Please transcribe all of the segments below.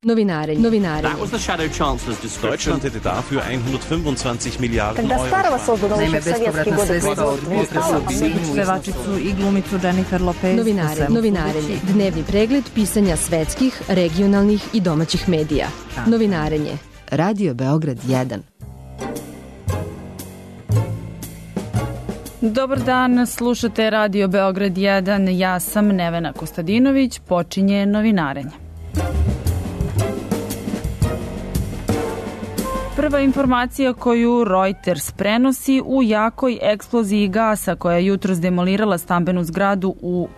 Novinarenje. That was the Shadow Chancellor's description. Deutschland hätte dafür 125 Milijarden Когда старого создано Naime, еще в советские годы sredstva od pevačicu i glumicu Jennifer Lopez. Novinarenje. Dnevni pregled pisanja svetskih, regionalnih i domaćih medija. Novinarenje. Radio Beograd 1. Dobar dan, slušate Radio Beograd 1, ja sam Nevena Kostadinović, počinje novinarenje. Prva informacija koju Reuters prenosi: u jakoj eksploziji gasa koja je jutros demolirala stambenu zgradu u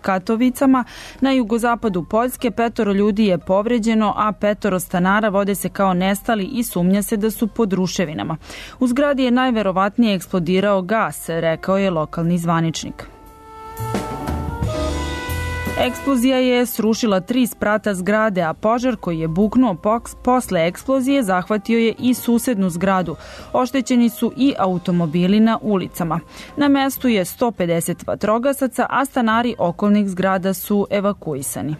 Katovicama na jugozapadu Poljske, 5 ljudi je povređeno, a 5 stanara vode se kao nestali i sumnja se da su pod ruševinama. U zgradi je najverovatnije eksplodirao gas, rekao je lokalni zvaničnik. Eksplozija je srušila 3 sprata zgrade, a požar koji je buknuo posle eksplozije zahvatio je i susednu zgradu. Oštećeni su i automobili na ulicama. Na mestu je 150 vatrogasaca, a stanari okolnih zgrada su evakuisani.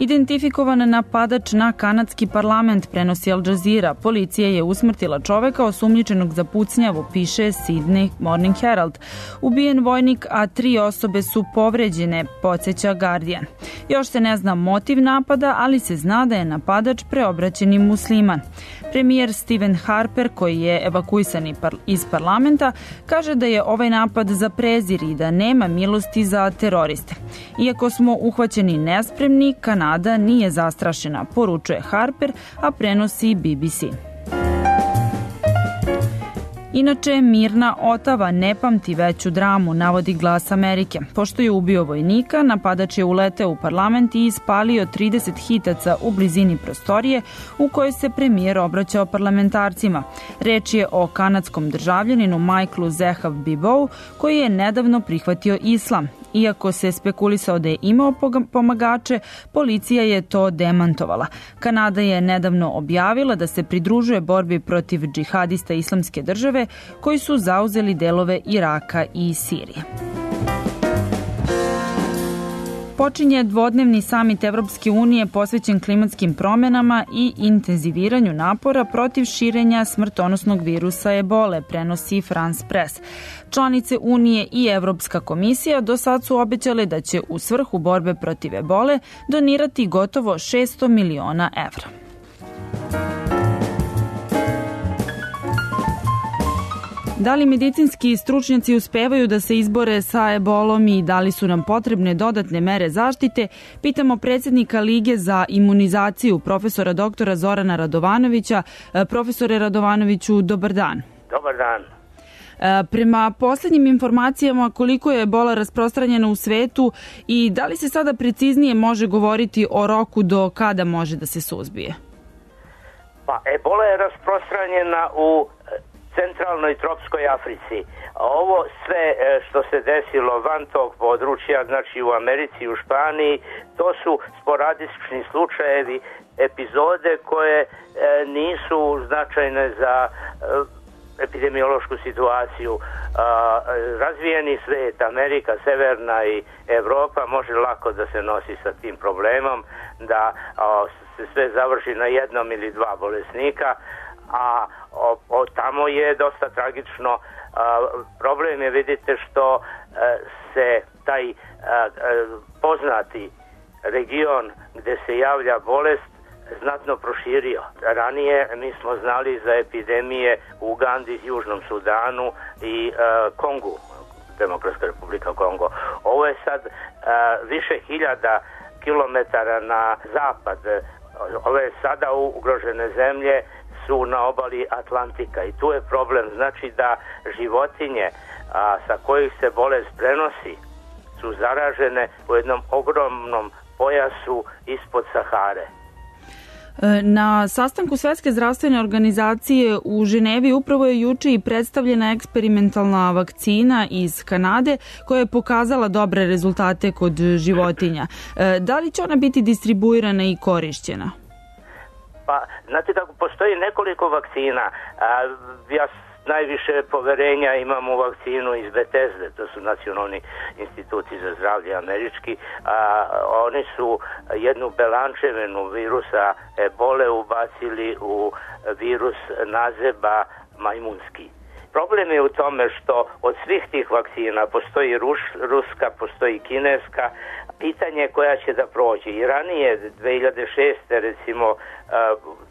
Identifikovan napadač na kanadski parlament, prenosi Al Jazeera. Policija je usmrtila čoveka osumnjičenog za pucnjavu, piše Sydney Morning Herald. Ubijen vojnik, a 3 osobe su povređene, podsjeća Guardian. Još se ne zna motiv napada, ali se zna da je napadač preobraćeni musliman. Premijer Stephen Harper, koji je evakuisan iz parlamenta, kaže da je ovaj napad za prezir i da nema milosti za teroriste. Iako smo uhvaćeni nespremni, Kanada nije zastrašena, poručuje Harper, a prenosi BBC. Inače, mirna Otava ne pamti veću dramu, navodi Glas Amerike. Pošto je ubio vojnika, napadač je uleteo u parlament i ispalio 30 hitaca u blizini prostorije u kojoj se premijer obraćao parlamentarcima. Reč je o kanadskom državljaninu Michaelu Zehav Bibou, koji je nedavno prihvatio islam. Iako se spekulisao da je imao pomagače, policija je to demantovala. Kanada je nedavno objavila da se pridružuje borbi protiv džihadista Islamske države koji su zauzeli delove Iraka i Sirije. Počinje dvodnevni samit Evropske unije posvećen klimatskim promenama i intenziviranju napora protiv širenja smrtonosnog virusa ebole, prenosi France Press. Članice Unije i Evropska komisija do sad su obećale da će u svrhu borbe protiv ebole donirati gotovo 600 miliona evra. Da li medicinski stručnjaci uspevaju da se izbore sa ebolom i da li su nam potrebne dodatne mere zaštite, pitamo predsjednika Lige za imunizaciju, profesora doktora Zorana Radovanovića. Profesore Radovanoviću, dobar dan. Dobar dan. Prema posljednjim informacijama, koliko je ebola rasprostranjena u svetu i da li se sada preciznije može govoriti o roku do kada može da se suzbije? Pa, ebola je rasprostranjena u centralnoj tropskoj Africi. Ovo sve što se desilo van tog područja, znači u Americi i u Španiji, to su sporadični slučajevi, epizode koje nisu značajne za epidemiološku situaciju. Razvijeni svet, Amerika, Severna i Evropa može lako da se nosi sa tim problemom, da se sve završi na 1 ili 2 bolesnika, a tamo je dosta tragično. Problem je, vidite, što se taj poznati region gde se javlja bolest znatno proširio. Ranije mi smo znali za epidemije u Ugandi, Južnom Sudanu i Kongu, Demokratska republika Kongo. Ovo je sad više hiljada kilometara na zapad. Ove sada ugrožene zemlje su na obali Atlantika i tu je problem. Znači da životinje sa kojih se bolest prenosi su zaražene u jednom ogromnom pojasu ispod Sahare. Na sastanku Svetske zdravstvene organizacije u Ženevi upravo je juče i predstavljena eksperimentalna vakcina iz Kanade koja je pokazala dobre rezultate kod životinja. Da li će ona biti distribuirana i korišćena? Pa, znate kako, postoji nekoliko vakcina. Ja najviše poverenja imamo u vakcinu iz Bethesde, to su nacionalni instituti za zdravlje američki, a oni su jednu belančevinu virusa ebole ubacili u virus nazeba majmunski. Problem je u tome što od svih tih vakcina postoji ruska, postoji kineska, pitanje koja će da prođe. I ranije, 2006. recimo,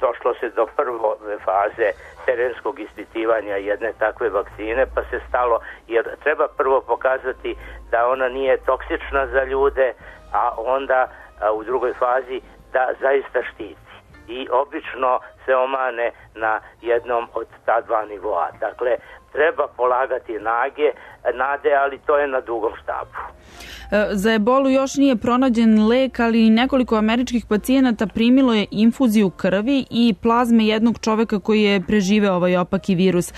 došlo se do prve faze terenskog ispitivanja jedne takve vakcine, pa se stalo, jer treba prvo pokazati da ona nije toksična za ljude, a onda u drugoj fazi da zaista štiti. I obično se omane na jednom od ta dva nivoa. Dakle, treba polagati nade, ali to je na dugom štapu. Za ebolu još nije pronađen lek, ali nekoliko američkih pacijenata primilo je infuziju krvi i plazme jednog čoveka koji je preživeo ovaj opaki virus.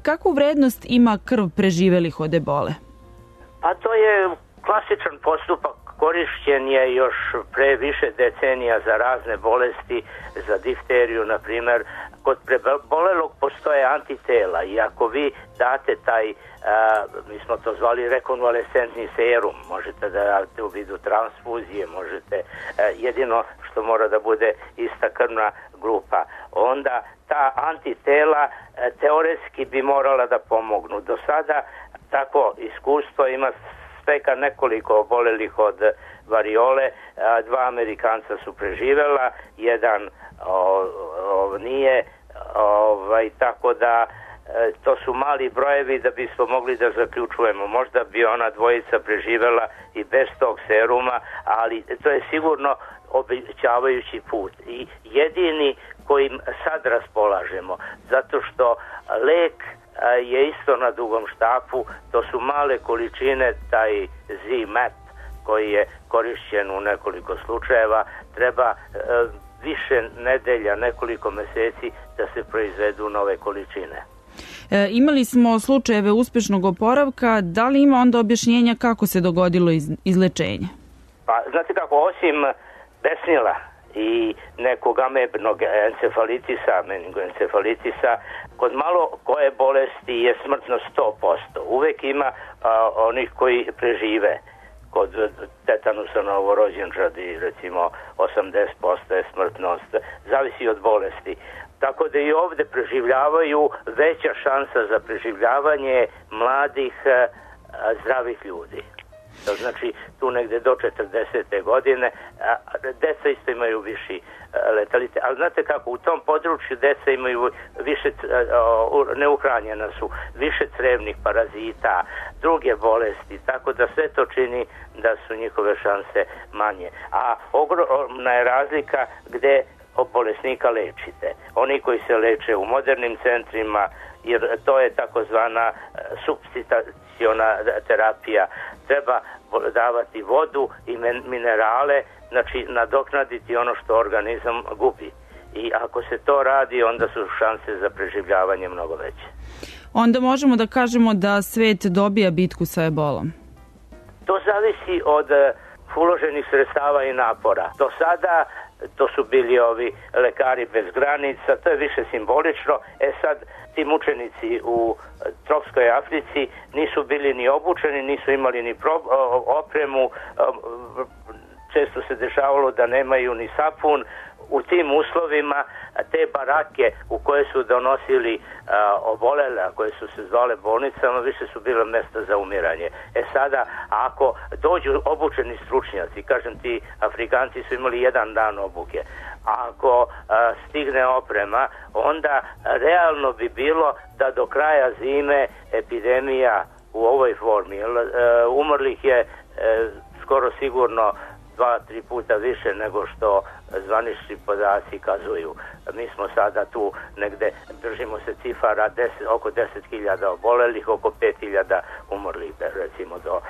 Kakvu vrednost ima krv preživelih od ebole? Pa to je klasičan postupak. Korišćen je još pre više decenija za razne bolesti, za difteriju, na primjer. Kod prebolelog postoje antitela i ako vi date taj, mi smo to zvali rekonvalescentni serum, možete da date u vidu transfuzije, možete, jedino što mora da bude ista krvna grupa, onda ta antitela teoretski bi morala da pomognu. Do sada tako iskustvo ima sveka nekoliko obolelih od variole, dva Amerikanca su preživela, jedan nije, tako da to su mali brojevi da bismo mogli da zaključujemo. Možda bi ona dvojica preživela i bez tog seruma, ali to je sigurno obećavajući put i jedini kojim sad raspolažemo, zato što lek je isto na dugom štapu, to su male količine, taj Z-Map koji je korišćen u nekoliko slučajeva, treba više nedelja, nekoliko meseci da se proizvedu nove količine. Imali smo slučajeve uspešnog oporavka, da li ima onda objašnjenja kako se dogodilo izlečenje? Pa, znate kako, osim besnila i nekog amebnog encefalitisa, meningoencefalitisa, kod malo koje bolesti je smrtnost 100%. Uvek ima onih koji prežive. Kod tetanusa novorođenčadi, recimo 80% je smrtnost, zavisi od bolesti. Tako da i ovde preživljavaju, veća šansa za preživljavanje mladih zdravih ljudi. To znači tu negde do 40. godine, deca isto imaju viši letalitet. Ali znate kako, u tom području deca imaju više, neuhranjena su, više crevnih parazita, druge bolesti, tako da sve to čini da su njihove šanse manje. A ogromna je razlika gde bolesnika lečite. Oni koji se leče u modernim centrima, jer to je takozvana supstituciona terapija, treba davati vodu i minerale, znači nadoknaditi ono što organizam gubi. I ako se to radi, onda su šanse za preživljavanje mnogo veće. Onda možemo da kažemo da svet dobija bitku sa ebolom? To zavisi od uloženih sredstava i napora. Do sada to su bili ovi lekari bez granica, to je više simbolično. Sad ti mučenici u tropskoj Africi nisu bili ni obučeni, nisu imali ni opremu, često se dešavalo da nemaju ni sapun. U tim uslovima te barake u koje su donosili obolele, a koje su se zvale bolnicama, više su bile mesta za umiranje. Sada, ako dođu obučeni stručnjaci, kažem ti Afrikanci su imali 1 dan obuke, ako stigne oprema, onda realno bi bilo da do kraja zime epidemija u ovoj formi, umrlih je skoro sigurno 2-3 puta više nego što zvanični podaci kazuju. Mi smo sada tu negde, držimo se cifara oko 10.000 obolelih, oko 5.000 umrlih, recimo do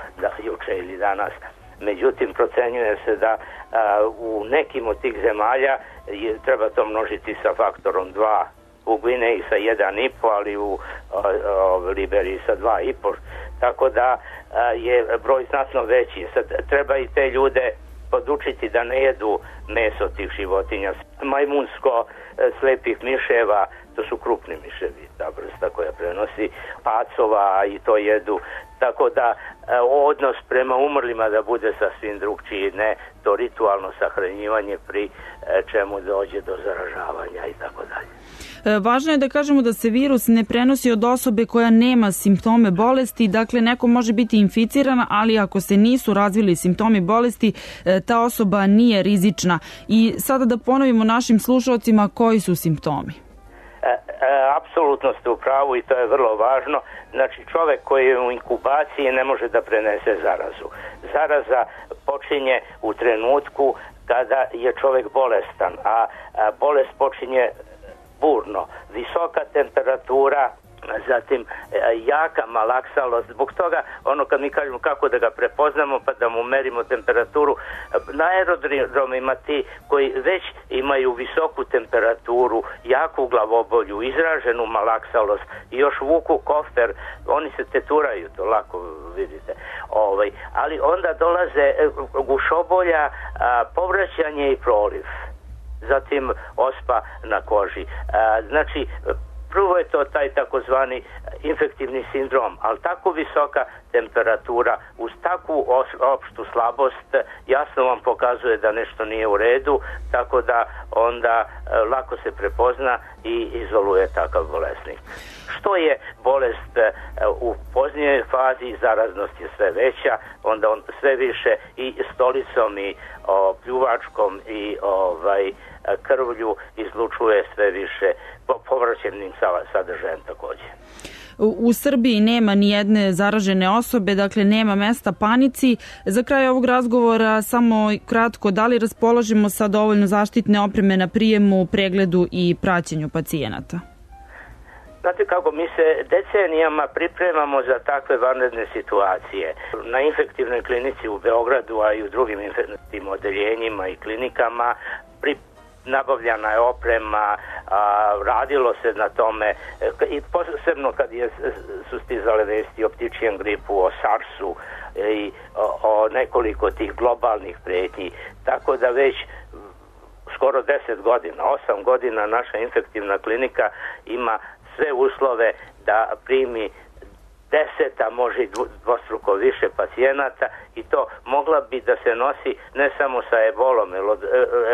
juče ili danas. Međutim, procenjuje se da u nekim od tih zemalja treba to množiti sa faktorom 2, u Gvineji sa 1,5, ali u Liberiji sa 2,5. Tako da je broj znatno veći. Sad treba i te ljude podučiti da ne jedu meso tih životinja. Majmunsko, slepih miševa, To su krupni miševi, ta vrsta koja prenosi pacova i to jedu. Tako da odnos prema umrlima da bude sasvim drugčiji, ne to ritualno sahranjivanje pri čemu dođe do zaražavanja i tako dalje. Važno je da kažemo da se virus ne prenosi od osobe koja nema simptome bolesti, dakle neko može biti inficirana, ali ako se nisu razvili simptomi bolesti, ta osoba nije rizična. I sada da ponovimo našim slušalcima koji su simptomi. Apsolutno ste u pravu i to je vrlo važno. Znači čovjek koji je u inkubaciji ne može da prenese zarazu. Zaraza počinje u trenutku kada je čovjek bolestan, a bolest počinje burno. Visoka temperatura, zatim jaka malaksalost. Zbog toga, kad mi kažemo kako da ga prepoznamo pa da mu merimo temperaturu, na aerodromima ti koji već imaju visoku temperaturu, jaku glavobolju, izraženu malaksalost i još vuku kofer, oni se teturaju, to lako vidite. Ali onda dolaze gušobolja, povraćanje i proliv. Zatim ospa na koži. Znači, prvo je to taj takozvani infektivni sindrom, ali tako visoka temperatura uz takvu opštu slabost jasno vam pokazuje da nešto nije u redu, tako da onda lako se prepozna i izoluje takav bolesnik. Što je bolest u poznijoj fazi, zaraznost je sve veća, onda on sve više i stolicom i pljuvačkom i krvlju izlučuje sve više povraćenim sadržajem također. U Srbiji nema ni jedne zaražene osobe, dakle nema mesta panici. Za kraj ovog razgovora samo kratko, da li raspolažemo sa dovoljno zaštitne opreme na prijemu, pregledu i praćenju pacijenata? Znate kako, mi se decenijama pripremamo za takve vanredne situacije. Na infektivnoj klinici u Beogradu, a i u drugim infektivnim odeljenjima i klinikama nabavljana je oprema, radilo se na tome i posebno kad su stizale vesti o ptičijem gripu, o SARS-u i o nekoliko tih globalnih prijetnji. Tako da već skoro 10 godina, 8 godina naša infektivna klinika ima sve uslove da primi 10, a može i dvostruko više pacijenata i to mogla bi da se nosi ne samo sa ebolom, jer od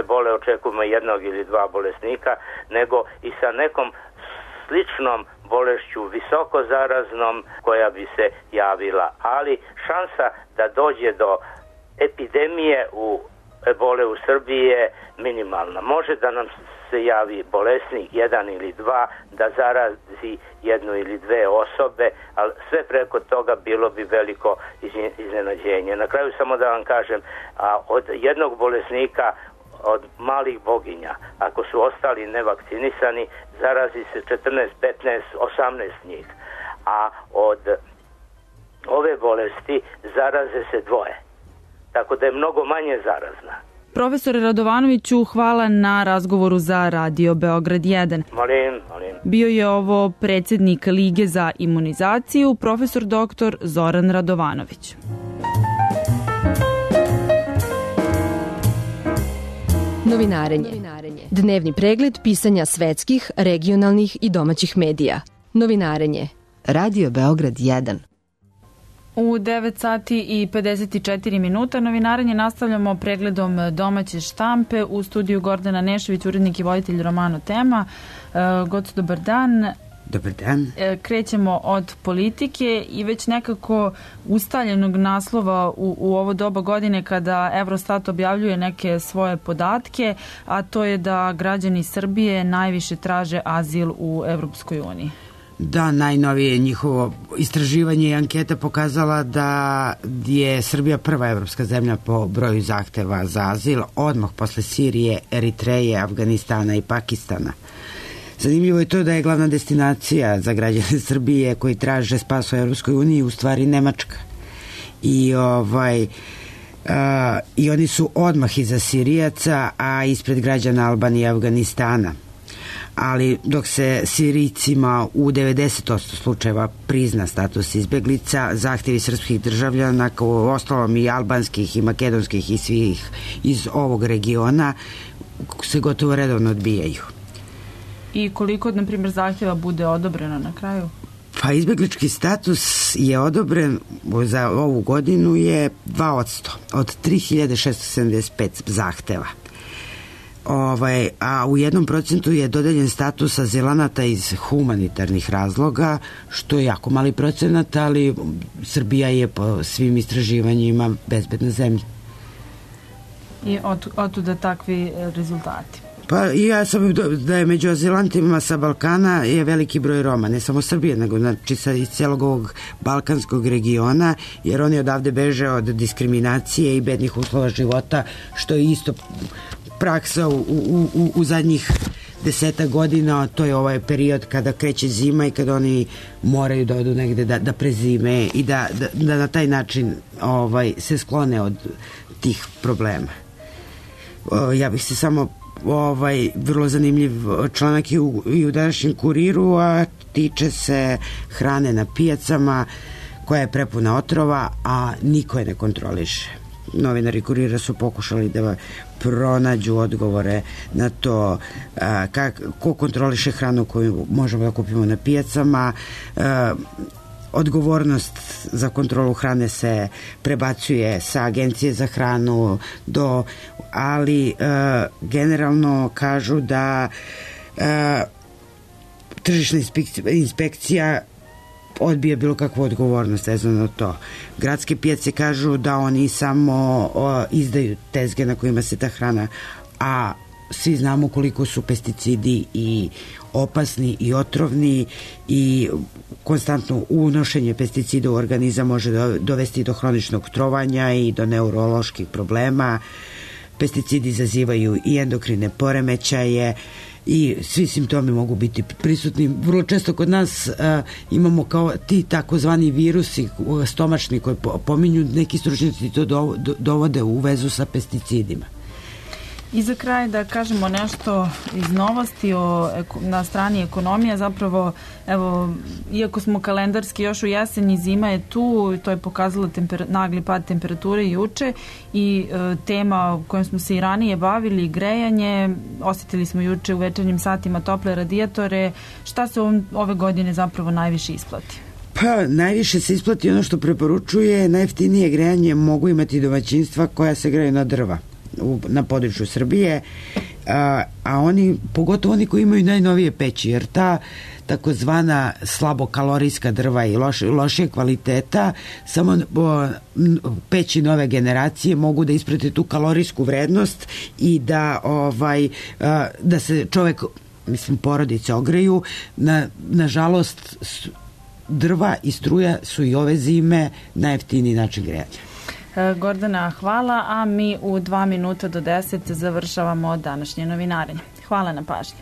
ebole očekujemo jednog ili dva bolesnika, nego i sa nekom sličnom bolešću, visoko zaraznom, koja bi se javila. Ali šansa da dođe do epidemije ebole u Srbiji je minimalna. Može da nam se javi bolesnik, jedan ili dva, da zarazi jednu ili dve osobe, ali sve preko toga bilo bi veliko iznenađenje. Na kraju samo da vam kažem, od jednog bolesnika, od malih boginja, ako su ostali nevakcinisani, zarazi se 14, 15, 18 njih. A od ove bolesti zaraze se dvoje. Tako da je mnogo manje zarazna. Profesore Radovanoviću, hvala na razgovoru za Radio Beograd 1. Molim. Bio je ovo predsjednik Lige za imunizaciju, profesor dr. Zoran Radovanović. Novinarenje. Dnevni pregled pisanja svetskih, regionalnih i domaćih medija. Novinarenje. Radio Beograd 1. U 9 sati i 54 minuta novinarenje nastavljamo pregledom domaće štampe. U studiju Gordana Nešević, urednik i voditelj Romano Tema. Goco, dobar dan. Dobar dan. Krećemo od politike i već nekako ustaljenog naslova u ovo doba godine kada Eurostat objavljuje neke svoje podatke, a to je da građani Srbije najviše traže azil u Evropskoj uniji. Da, najnovije njihovo istraživanje i anketa pokazala da je Srbija prva evropska zemlja po broju zahteva za azil, odmah posle Sirije, Eritreje, Afganistana i Pakistana. Zanimljivo je to da je glavna destinacija za građane Srbije koji traže spas u Evropskoj uniji u stvari Nemačka. I oni su odmah iza Sirijaca, a ispred građana Albanije i Afganistana. Ali dok se Sirijcima u 90% slučajeva prizna status izbeglica, zahtjevi srpskih državljana, kao ostalom i albanskih i makedonskih i svih iz ovog regiona, se gotovo redovno odbijaju. I koliko, na primjer, zahtjeva bude odobreno na kraju? Pa izbjeglički status je odobren za ovu godinu je 2% od 3675 zahteva. A u 1% je dodeljen status azilanata iz humanitarnih razloga, što je jako mali procenat, ali Srbija je po svim istraživanjima bezbedna zemlja. I otuda takvi rezultati? Pa ja sam da je među azilantima sa Balkana je veliki broj Roma, ne samo Srbije, nego znači iz cijelog ovog balkanskog regiona, jer oni odavde beže od diskriminacije i bednih uslova života, što je isto praksa u zadnjih 10 godina. To je ovaj period kada kreće zima i kada oni moraju da odu negde da prezime i da na taj način se sklone od tih problema. Ja bih se samo vrlo zanimljiv članak i u današnjem Kuriru, a tiče se hrane na pijacama koja je prepuna otrova, a niko je ne kontroliše. Novinari Kurira su pokušali da pronađu odgovore na to ko kontroliše hranu koju možemo da kupimo na pijacama. Odgovornost za kontrolu hrane se prebacuje sa Agencije za hranu ali generalno kažu da tržišna inspekcija odbija bilo kakvu odgovornost vezano na to. Gradske pijace kažu da oni samo izdaju tezge na kojima se ta hrana, a svi znamo koliko su pesticidi i opasni i otrovni i konstantno unošenje pesticida u organizam može dovesti do hroničnog trovanja i do neuroloških problema. Pesticidi izazivaju i endokrine poremećaje i svi simptomi mogu biti prisutni. Vrlo često kod nas imamo kao ti takozvani virusi stomačni koji pominju, neki stručnjaci to dovode u vezu sa pesticidima. I za kraj da kažemo nešto iz novosti na strani ekonomije. Zapravo, evo, iako smo kalendarski još u jeseni, zima je tu, to je pokazalo nagli pad temperature juče i tema kojom smo se i ranije bavili, grejanje, osjetili smo juče u večernjim satima tople radijatore. Šta se ove godine zapravo najviše isplati? Pa najviše se isplati ono što preporučuje, najjeftinije grejanje mogu imati domaćinstva koja se greju na drva na području Srbije, a oni, pogotovo oni koji imaju najnovije peći, jer ta takozvana slabokalorijska drva i lošije kvaliteta, samo peći nove generacije mogu da isprate tu kalorijsku vrednost i da se čovek, porodice ogreju. Nažalost, drva i struja su i ove zime najjeftiniji način grejanja. Gordana, hvala, a mi u 2 minuta do 10 završavamo današnje novinarenje. Hvala na pažnji.